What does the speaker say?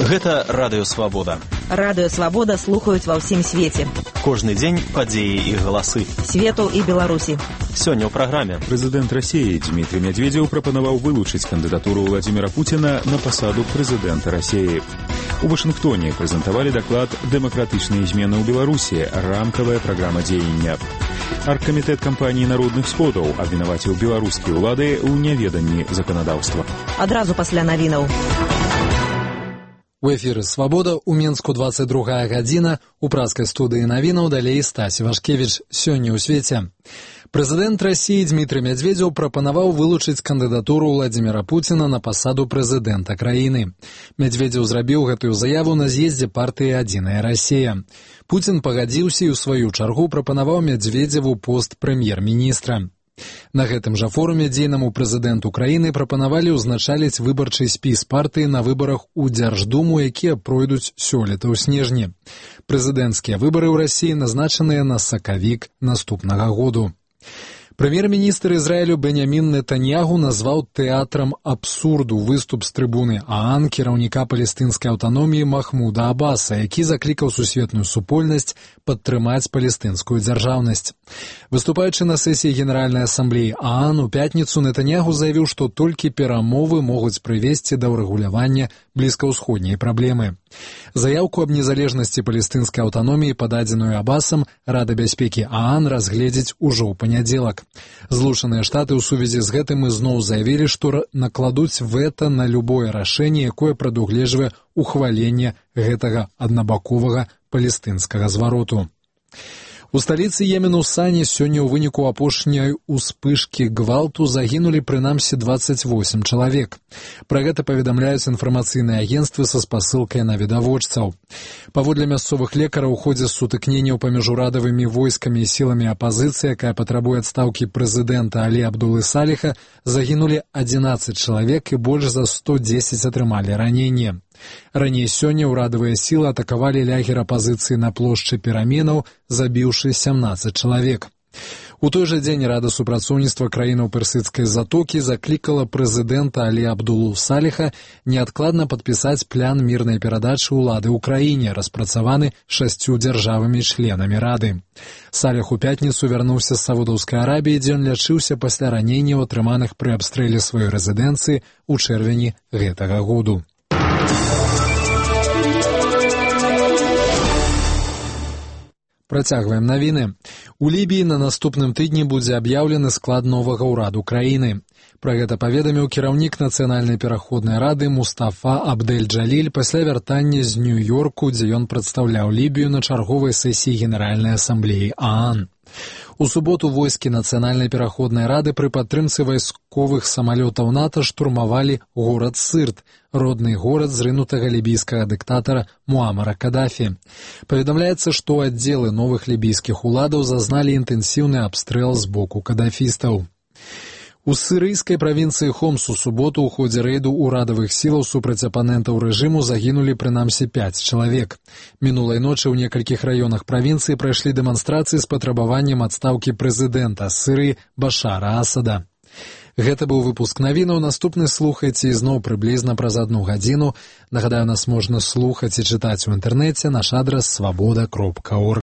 Гэта Радыё Свабода. Радыё Свабода слухаюць ва ўсім свеце. Кожны дзень падзеі і галасы. Свету і Беларусі. Сёння ў праграме. Прэзідэнт Расіі Дмітрий Медведев прапанаваў вылучыць кандыдатуру Владимира Путина на пасаду прэзідэнта Расіі. У Вашынгтоне прэзентавалі даклад «Дэмакратычныя змены ў Беларусі. Рамкавая праграма дзеяння». Аргкамітэт кампаніі народных сходаў абвінаваціў беларускія ўлады ў няведанні заканадаўства. Адразу пасля навінаў. У эфіры «Свабода» у Менску 22 гадзіна. У праскай студыі навінаў далей Стась Вашкевіч. Сёння ў свеце. Прэзідэнт Расіі Дмітрий Медведев прапанаваў вылучыць кандыдатуру Владимира Путина на пасаду прэзідэнта краіны. Медведев зрабіў гэтую заяву на з'ездзе партыі «Адзіная Расія». Путин пагадзіўся і ў сваю чаргу прапанаваў Медведеву пост прэм'ер-міністра. На гэтым жа форуме дзейнаму прэзідэнту краіны прапанавалі ўзначаліць выбарчы спіс партыі на выбарах у Дзярждуму, якія пройдуць сёлета ў снежні. Прэзідэнцкія выбары ў Расіі назначаныя на сакавік наступнага году. Прэм'ер-міністр Ізраілю Беньямін Нетаньягу назваў тэатрам абсурду выступ з трыбуны ААН кіраўніка палестынскай аўтаноміі Махмуда Аббаса, які заклікаў сусветную супольнасць падтрымаць палестынскую дзяржаўнасць. Выступаючы на сесіі Генеральнай асамблеі ААН у пятніцу, Нетаньягу заявіў, што толькі перамовы могуць прывесці да ўрэгулявання блізкаўсходняй праблемы. Заяўку аб незалежнасці палестынскай аўтаноміі, пададзеную Аббасам, Рада бяспекі ААН разгледзіць ужо ў панядзелак. Злучаныя Штаты ў сувязі з гэтым ізноў заявілі, што накладуць вэта на любое рашэнне, якое прадугледжвае ухваленне гэтага аднабаковага палестынскага звароту. У сталіцы Йемену Сані сёння ў выніку апошняй успышкі гвалту загінулі прынамсі 28 чалавек. Пра гэта паведамляюць інфармацыйныя агенцтвы са спасылкай на відавочцаў. Паводле мясцовых лекараў, у ходзе сутыкненняў паміж урадавымі войскамі і сіламі апазіцыі, якая патрабуе адстаўкі прэзідэнта Алі Абдулы Саліха, загінулі 11 чалавек і больш за 110 атрымалі раненне. Раней сёння ўрадавыя сілы атакавалі лагер апазіцыі на плошчы Пераменаў, забіўшы 17 чалавек. У той жа дзень Рада супрацоўніцтва краінаў персідскай затокі заклікала прэзідэнта Алі Абдулу Саліха неадкладна падпісаць план мірнай перадачы ўлады ў краіне, распрацаваны 6 дзяржавамі-членамі Рады. Саліх у пятніцу вярнуўся з Саудаўскай Арабіі, дзе ён лячыўся пасля раненняў, атрыманых пры абстрэле сваёй рэзідэнцыі ў чэрвені гэтага году. Працягваем навіны. У Лібіі на наступным тыдні будзе аб'яўлены склад новага ўраду краіны. Пра гэта паведаміў кіраўнік Нацыянальнай пераходнай рады Мустафа Абдэль-Джаліль пасля вяртання з Нью-Йорку, дзе ён прадстаўляў Лібію на чарговай сесіі Генеральнай асамблеі ААН. У суботу войскі Нацыянальнай пераходнай рады пры падтрымцы вайсковых самалётаў НАТО штурмавалі горад Сырт, родны горад зрынутага лібійскага дыктатара Муамара Кадафі. Паведамляецца, што аддзелы новых лібійскіх уладаў зазналі інтэнсіўны абстрэл з боку кадафістаў. У сірыйскай правінцыі Хомс у суботу ў ходзе рэйду ўрадавых сілаў супраць апанентаў рэжыму загінулі прынамсі 5 чалавек. Мінулай ночы ў некалькіх раёнах правінцыі прайшлі дэманстрацыі з патрабаваннем адстаўкі прэзідэнта Сірыі Башара Асада. Гэта быў выпуск навінаў. Наступны слухайце ізноў прыблізна праз 1 гадзіну. Нагадаю, нас можна слухаць і чытаць у інтэрнэце. Наш адрас свабода.орг.